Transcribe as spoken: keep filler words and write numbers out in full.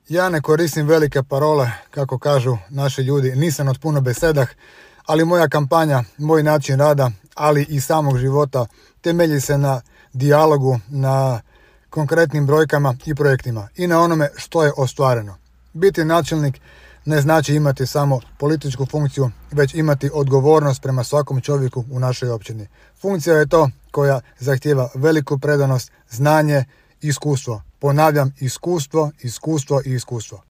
Ja ne koristim velike parole, kako kažu naši ljudi, nisam od puno besedah, ali moja kampanja, moj način rada, ali i samog života temelji se na dijalogu, na konkretnim brojkama i projektima i na onome što je ostvareno. Biti načelnik ne znači imati samo političku funkciju, već imati odgovornost prema svakom čovjeku u našoj općini. Funkcija je to koja zahtijeva veliku predanost, znanje, iskustvo. Ponavljam, iskustvo, iskustvo i iskustvo.